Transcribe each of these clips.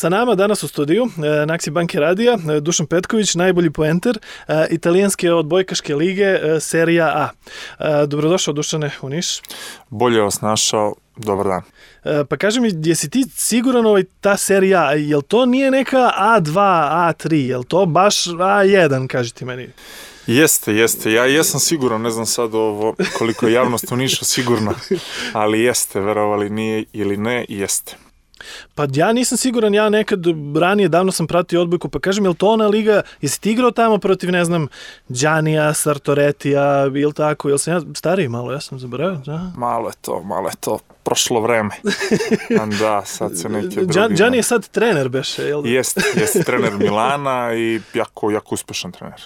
Sa nama danas u studiju na Akciji Banke Radija Dušan Petković, najbolji poenter italijanske odbojkaške lige Serija A. Dobrodošao, Dušane, u Niš. Bolje vas našao, dobar dan. Pa kaži mi, jesi ti siguran ta Serija A, jel to nije neka A2, A3, jel to baš A1, kaži ti meni? Jeste. Ja jesam siguran, ne znam sad koliko je javnost u Nišu sigurna, ali jeste, verovali nije ili ne, jeste. Pa ja nisam siguran, ja nekad ranije davno sam pratio odbojku, pa kažem, je li to ona liga, jesi ti igrao tamo protiv, ne znam, Đanija, Sartoretija, ili tako, jel sam ja stariji malo, ja sam zaboravio? Da? Malo je to prošlo vreme. Da, sad se neke drugi... Đani je sad trener, beše, jel? Jeste trener Milana i jako uspešan trener.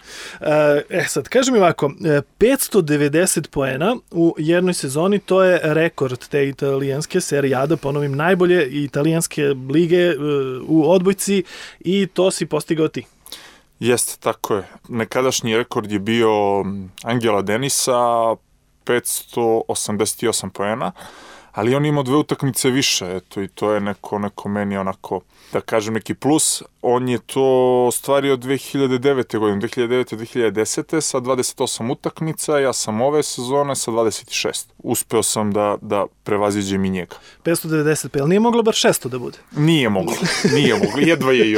Sad, kaži mi ovako, 590 poena u jednoj sezoni, to je rekord te italijanske Serije A, da ponovim, najbolje italijanske lige u odbojci i to si postigao ti. Jeste, tako je. Nekadašnji rekord je bio Angela Denisa, 588 poena, ali on ima 2 utakmice više, eto, i to je neko meni onako, da kažem, neki plus. On je to ostvario 2009. godine, 2009-2010. sa 28 utakmica, ja sam ove sezone sa 26. Uspeo sam da prevaziđem i njega. 590, ali nije moglo bar 600 da bude? Nije moglo, jedva je i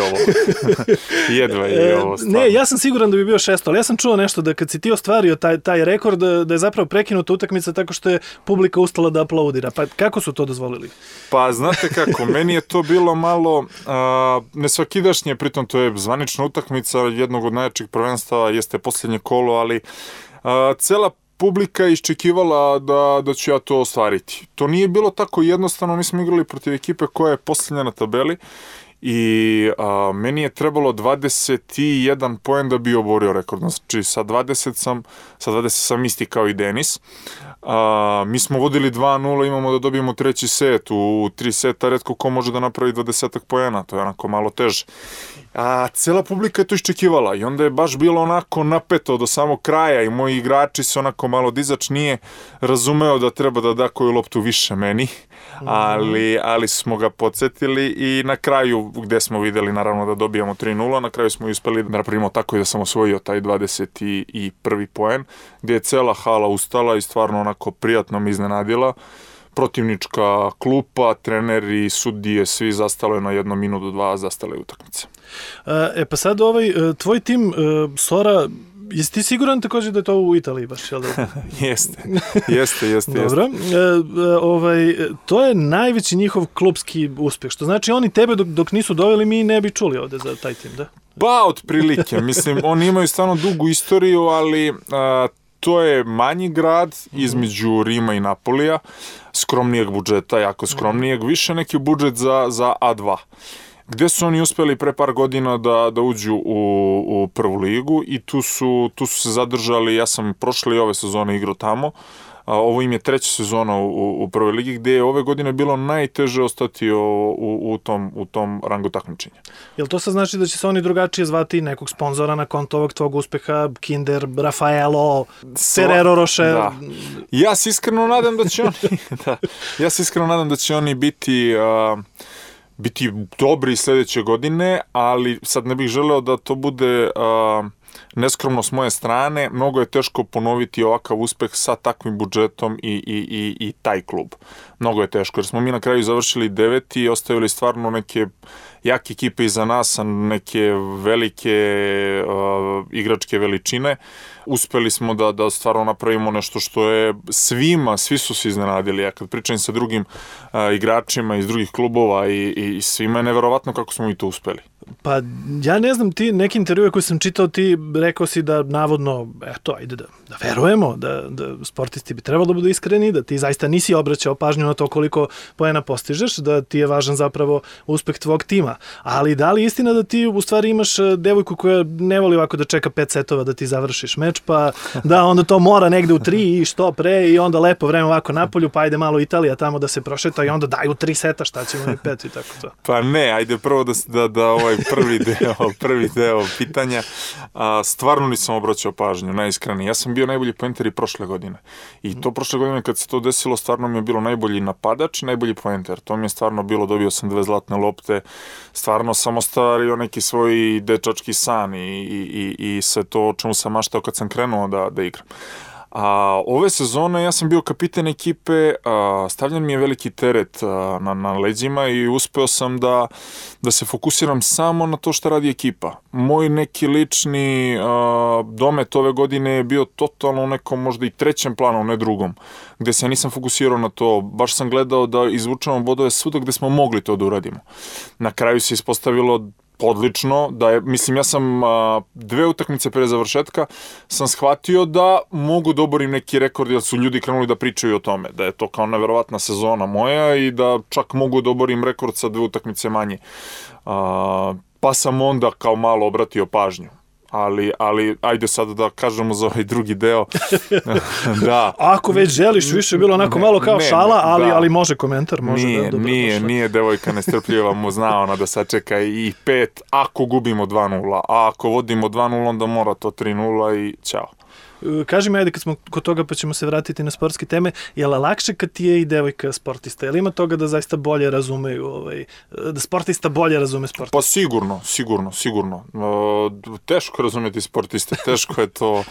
ovo. Stvarno. Ne, ja sam siguran da bi bio 600, ali ja sam čuo nešto da kad si ti ostvario taj rekord, da je zapravo prekinuta utakmica tako što je publika ustala da aplaudira. Pa kako su to dozvolili? Pa znate kako, meni je to bilo malo nesvakidašnje, pritom to je zvanična utakmica jednog od najjačih prvenstava, jeste posljednje kolo, ali cela publika je iščekivala da ću ja to ostvariti. To nije bilo tako jednostavno, mi smo igrali protiv ekipe koja je posljednja na tabeli i meni je trebalo 21 poen da bi oborio rekord. Znači sa 20 sam isti kao i Denis. Mi smo vodili 2-0, imamo da dobijemo treći set. U 3 seta retko ko može da napravi 20 poena, to je onako malo teže. Cela publika je to iščekivala i onda je baš bilo onako napeto do samog kraja i moji igrači se onako malo dizač nije razumeo da treba da da koju loptu više meni, ali smo ga podsjetili i na kraju gde smo videli naravno da dobijamo 3-0, na kraju smo uspeli da napravimo tako i da sam osvojio taj 21. poen, gdje je cela hala ustala i stvarno onako prijatno mi iznenadila. Protivnička klupa, treneri, sudije, svi zastalo na 1 minutu, 2 zastale utakmice. Pa sad tvoj tim Sora, jesi ti siguran također da je to u Italiji baš, jel da? Jeste. Dobro. To je najveći njihov klubski uspjeh, što znači oni tebe dok nisu doveli mi ne bi čuli ovde za taj tim, da? Pa, otprilike. Mislim, oni imaju stvarno dugu istoriju, ali to je manji grad između Rima i Napolija, skromnijeg budžeta, jako skromnijeg, više neki budžet za A2. Gde su oni uspeli pre par godina da uđu u prvu ligu i tu su se zadržali, ja sam prošle i ove sezone igrao tamo, ovo im je 3. sezona u prvoj ligi, gde je ove godine bilo najteže ostati u tom rangu takmičenja. Jel to sad znači da će se oni drugačije zvati nekog sponzora na konto ovog tvog uspeha, Kinder, Raffaello, Ferrero Rocher? Da. Ja se iskreno nadam da će oni biti dobri sledeće godine, ali sad ne bih želeo da to bude neskromno s moje strane. Mnogo je teško ponoviti ovakav uspeh sa takvim budžetom i taj klub. Mnogo je teško, jer smo mi na kraju završili 9. i ostavili stvarno neke jake ekipe iza nas, neke velike igračke veličine. Uspeli smo da stvarno napravimo nešto što je svi su se iznenadili. Ja kad pričam sa drugim igračima iz drugih klubova i svima je neverovatno kako smo mi to uspeli. Pa ja ne znam, ti neki intervjue koje sam čitao, ti rekao si da navodno, ajde da verujemo, da sportisti bi trebalo da budu iskreni, da ti zaista nisi obraćao pažnju na to koliko poena postižeš, da ti je važan zapravo uspeh tvog tima. Ali da li je istina da ti u stvari imaš devojku koja ne voli ovako da čeka 5 setova da ti završiš meč, pa da onda to mora negde u 3 i što pre i onda lepo vreme ovako napolju, pa ajde malo Italija tamo da se prošeta i onda daju 3 seta, šta ćemo i 5 i tako to. Pa ne, ajde prvo da prvi deo pitanja. Stvarno nisam obraćao pažnju, najiskrenije. Ja sam bio najbolji poenter i prošle godine. I to prošle godine kad se to desilo, stvarno mi je bilo najbolji napadač, najbolji poenter. To mi je stvarno bilo, dobio sam 2 zlatne lopte, stvarno sam ostvario neki svoj dečački san i sve to o čemu sam maštao kad sam krenuo da igram. Ove sezone ja sam bio kapiten ekipe, stavljen mi je veliki teret na leđima i uspeo sam da se fokusiram samo na to što radi ekipa. Moj neki lični domet ove godine je bio totalno u nekom možda i trećem planu, ne drugom, gde se nisam fokusirao na to. Baš sam gledao da izvučemo bodove svuda gde smo mogli to da uradimo. Na kraju se ispostavilo odlično, ja sam 2 utakmice pre završetka sam shvatio da mogu da oborim neki rekord, jer su ljudi krenuli da pričaju o tome, da je to kao neverovatna sezona moja i da čak mogu da oborim rekord sa 2 utakmice manje. Pa sam onda kao malo obratio pažnju. Ali ajde sad da kažemo za ovaj drugi deo. Da. Ako već želiš, više je bilo onako malo kao šala, ali može komentar. Nije devojka nestrpljiva, mu zna ona da sačeka i 5, ako gubimo 2-0, a ako vodimo 2-0, onda mora to 3-0 i ćao. Kaži mi, ajde, kad smo kod toga pa ćemo se vratiti na sportske teme, je li lakše kad ti je i devojka sportista? Je li ima toga da zaista bolje razumeju, da sportista bolje razume sportista? Pa sigurno. Teško razumjeti sportiste, teško je to,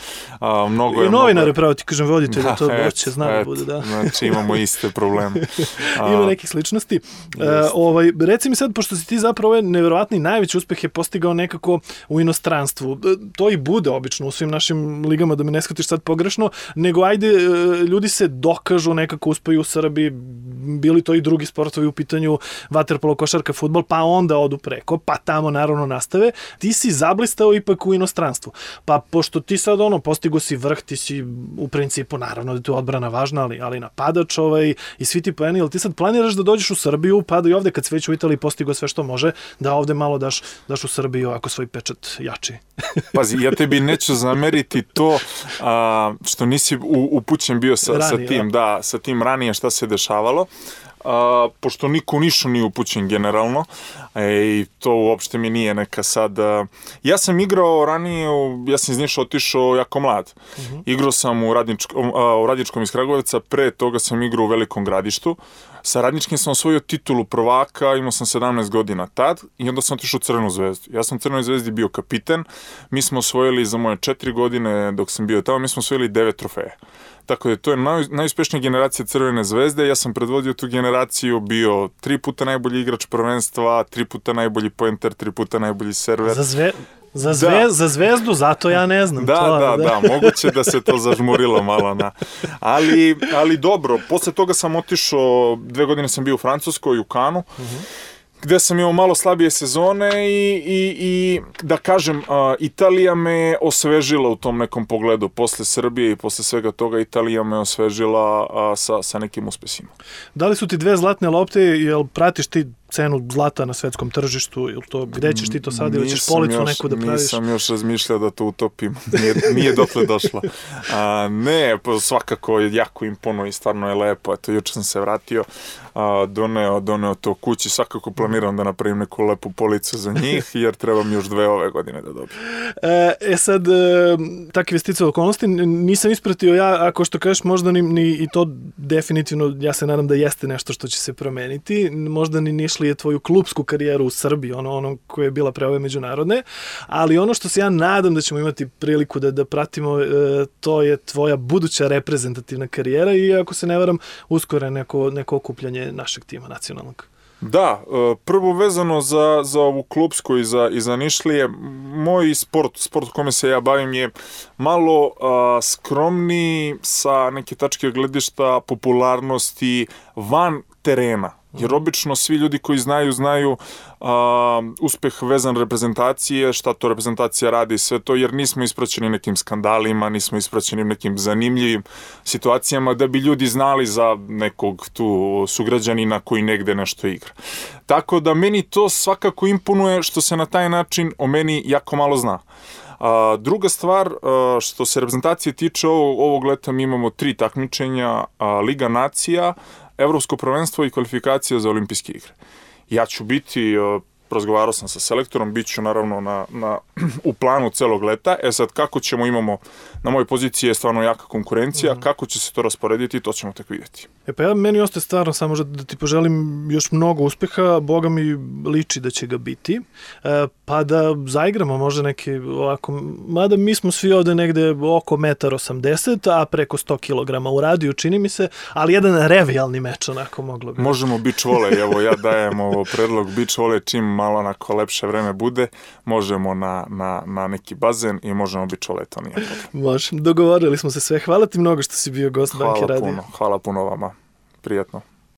mnogo je... I novinare, pravo ti kažem, voditelj, to hoće, zna da bude, da. Znači imamo iste probleme. Ima nekih sličnosti. Reci mi sad, pošto si ti zapravo ovaj neverovatni najveći uspeh je postigao nekako u inostranstvu. To i bude obično u svim našim ligama, da me ne shvatiš sad pogrešno, nego ajde, ljudi se dokažu, nekako uspeju u Srbiji, bili to i drugi sportovi u pitanju, vaterpolo, košarka, fudbal, pa onda odu preko, pa tamo naravno nastave. Ti si zablistao ipak u inostranstvu. Pa pošto ti sad postigo si vrh, ti si u principu, naravno da je tu odbrana važna, ali napadač i svi ti poeni, ali ti sad planiraš da dođeš u Srbiju, pa da i ovde kad si već u Italiji postigo sve što može, da ovde malo daš u Srbiju ako svoj pečat jači. Pazi, ja tebi neću zameriti to što nisi upućen bio sa tim ranije šta se dešavalo, pošto niko u Nišu nije upućen generalno i to uopšte mi nije neka sad... Ja sam igrao ranije, ja sam iz Niša otišao jako mlad. Igrao sam u Radničkom iz Kragujevca, pre toga sam igrao u Velikom Gradištu. Sa Radničkim sam osvojio titulu prvaka, imao sam 17 godina tad i onda sam otišao u Crvenu zvezdu. Ja sam u Crvenoj zvezdi bio kapiten, mi smo osvojili za moje 4 godine dok sam bio tamo, mi smo osvojili 9 trofeja. Tako da to je najuspešnija generacija Crvene zvezde, ja sam predvodio tu generaciju, bio 3 puta najbolji igrač prvenstva, 3 puta najbolji poenter, 3 puta najbolji server. Za zvezdu, zato ja ne znam. Da, moguće da se to zažmurilo malo. Ali dobro, posle toga sam otišao, 2 godine sam bio u Francuskoj, u Kanu, gde sam imao malo slabije sezone i da kažem, Italija me osvežila u tom nekom pogledu. Posle Srbije i posle svega toga Italija me osvežila sa nekim uspesima. Da li su ti 2 zlatne lopte, jel pratiš ti cenu zlata na svetskom tržištu, ili to, gde ćeš ti to sad, ili ćeš policu neku da praviš? Nisam još razmišljao da to utopim, nije dotle došlo. Ne, svakako jako imponuje i stvarno je lepo, eto, juče sam se vratio, doneo to kući, svakako planiram da napravim neku lepu policu za njih, jer trebam još 2 ove godine da dobijem. Sad, takve sticaje okolnosti, nisam ispratio ja, ako što kažeš, možda ni i to definitivno, ja se nadam da jeste nešto što će se promeniti, možda ni nišli je tvoju klupsku karijeru u Srbiji, ono koja je bila pre ove međunarodne, ali ono što se ja nadam da ćemo imati priliku da pratimo, to je tvoja buduća reprezentativna karijera i ako se ne varam, uskoro neko okupljanje našeg tima nacionalnog. Da, prvo vezano za ovu klupsku i za Nišlije, moj sport u kome se ja bavim je malo skromniji sa neke tačke gledišta popularnosti van terena. Jer obično svi ljudi koji znaju uspeh vezan reprezentacije, šta to reprezentacija radi i sve to, jer nismo ispraćeni nekim skandalima, nismo ispraćeni nekim zanimljivim situacijama da bi ljudi znali za nekog tu sugrađanina koji negde nešto igra. Tako da meni to svakako imponuje što se na taj način o meni jako malo zna. Druga stvar, što se reprezentacije tiče, ovog leta mi imamo 3 takmičenja, Liga nacija, Evropsko prvenstvo i kvalifikacija za olimpijske igre. Ja ću biti razgovarao sam sa selektorom, bit ću naravno u planu celog leta. Sad kako ćemo, imamo, na mojoj poziciji je stvarno jaka konkurencija, kako će se to rasporediti, to ćemo tek vidjeti. Pa meni ostaje stvarno samo da ti poželim još mnogo uspeha, Boga mi liči da će ga biti, pa da zaigramo možda neki ovako, mada mi smo svi ovde negde oko 1,80 m, a preko 100 kg u radiju, čini mi se, ali jedan revijalni meč onako moglo bi. Možemo beach volley, evo ja dajem predlog beach volley, čim malo onako lepše vreme bude, možemo na neki bazen i možemo beach volley, to nije problem. Može, dogovorili smo se sve. Hvala ti mnogo što si bio gost Banke Radio. Hvala puno vama. Prijetno.